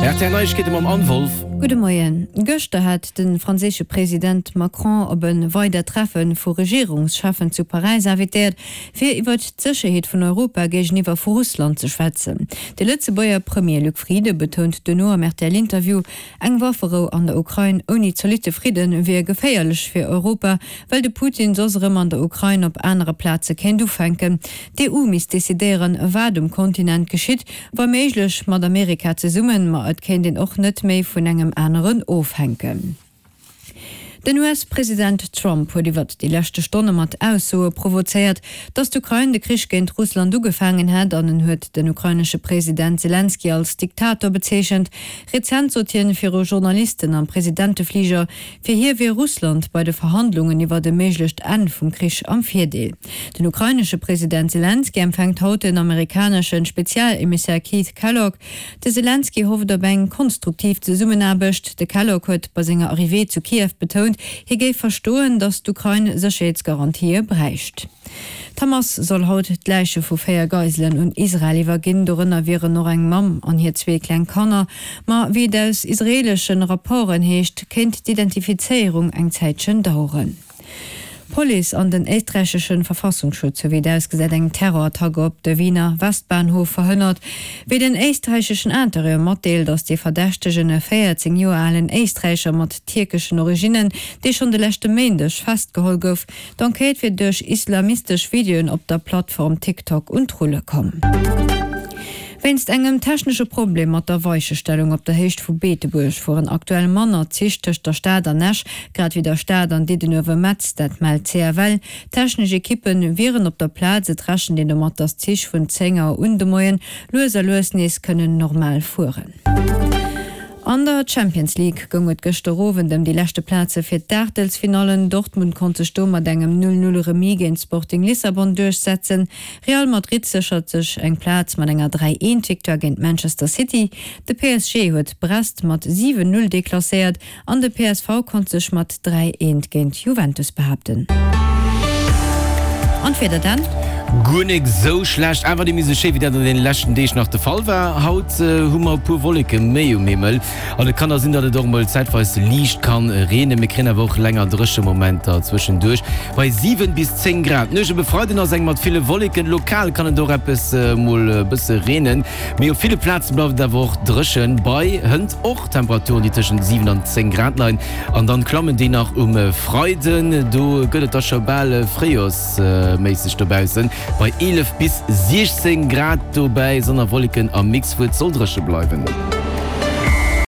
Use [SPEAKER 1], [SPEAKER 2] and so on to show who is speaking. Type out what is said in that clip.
[SPEAKER 1] Rtl Neiegkeete mam Anne Wolff.
[SPEAKER 2] Gudde Moien. Gëschter hat de franséische President Macron op e weidert Treffe vu Regierungscheffen zu Paräis invitéiert, fir iwwert d'Sécherheet vun Europa géigeniwwer vu Russland ze schwätzen. De Lëtzebuerger Premier Luc Frieden betount duerno am RTL-Interview, eng Wafferou an der Ukrain ouni zolitte Fridde wier geféierlech fir Europa, well de Putin soss erëm an der Ukrain op anere Plaze kéint ufänken. D'EU misst decidéieren, wat um Kontinent geschitt, wa méiglech mat Amerika zesummen, ma et kéint een och net méi vun engem aneren ofhänken. Den US-President Trump huet iwwert déi leschte Stonne mat Aussoe provozéiert, datt d'Ukrain de Krich géint Russland ugefaangen hätt an en huet den ukrainesche President Selenskyj als Diktator bezeechent. Rezent sot hien viru Journalisten am Presidentefliger, fir hie wier Russland bei de Verhandlungen iwwert e méiglecht Enn vum Krich am Virdeel. Den ukrainesche President Selenskyj empfänkt haut den amerikanesche Spezialemissär Keith Kellogg. De Selenskyj hofft op eng konstruktiv Zesummenaarbecht. De Kellogg huet bei senger Arrivée zu Kiew betount, hie géif verstoen, datt d'Ukrain Sécherheetsgarantië bräicht. D'Hamas soll haut d'Läiche vu 4 Geiselen un Israel iwwerginn. Dorënner wieren och eng Mamm an hir zwee kleng Kanner. Ma wéi et aus israeelesche Rapporten heescht, kéint d'Identifizéierung eng Zäitchen daueren. D'Police an den éisträichesche Verfassungsschutz hu wéi et ausgesäit eng Terrorattack op de Wiener Westbahnhof verhënnert. Wéi den éisträicheschen Interieur matdeelt, ass dee Verdächtegen e 14 Joer alen Éisträicher mat tierkeschen Originnen, dee schonn de leschte Méindeg festgeholl gouf. D'Enquête wier duerch islamistesch Videoen op der Plattform TikTok un d'Rulle komm. Wéinst engem technesche Problem mat der Weichestellung op der Héicht vu Beetebuerg fueren aktuell manner Zich tëscht der Stad an Esch, grad wéi der Stad an Diddenuewe-Metz, dat mellt d'CFL. Technesch Ekippe wieren op der Plaz. Et rechent een domat, datt d'Zich vun 10 Auer un de Moien lues a lues nees kënnen normal fueren. An der Champions League goung et gëschter Owend ëm déi leschte Plaze fir d'Aachtelsfinallen. Dortmund konnt sech do mat engem 0, 0 Remis géint Sporting Lissabon duerchsetzen. Real Madrid séchert sech eng Plaz mat enger 3, 1 Victoire géint Manchester City. De PSG huet Brest mat 7, 0 deklasséiert An de PSV konnt sech mat 3, 1 géint Juventus behaapten. An d'Wieder dann?
[SPEAKER 1] Guer nik sou schlecht, awer déi méi sou schéi wéi dat an deene leschten Deeg nach de Fall war. Haut hu mer e puer Wolleke méi um Himmel an et kann da sinn, datt et och mol zäitweis liicht kann reenen. Mir kréien awer och länger dréche Momenter zwëschenduerch bei 7 bis 10 Grad. D'Nuecht op e Freiden ass eng mat ville Wolleken, lokal kann et och eppes mol e bësse reenen, mee op ville Plaze bleift et awer och dréchen. Bei hënt och Temperaturen déi tëschent 7 an 10 Grad leien an dann klammen déi nach um Freiden. Do gëtt et da scho bal fréijorsméisseg dobaussen bei 11 bis 16 Grad. Dobäi Sonn a Wolleken am Mix, wou et soll dréche bleiwen.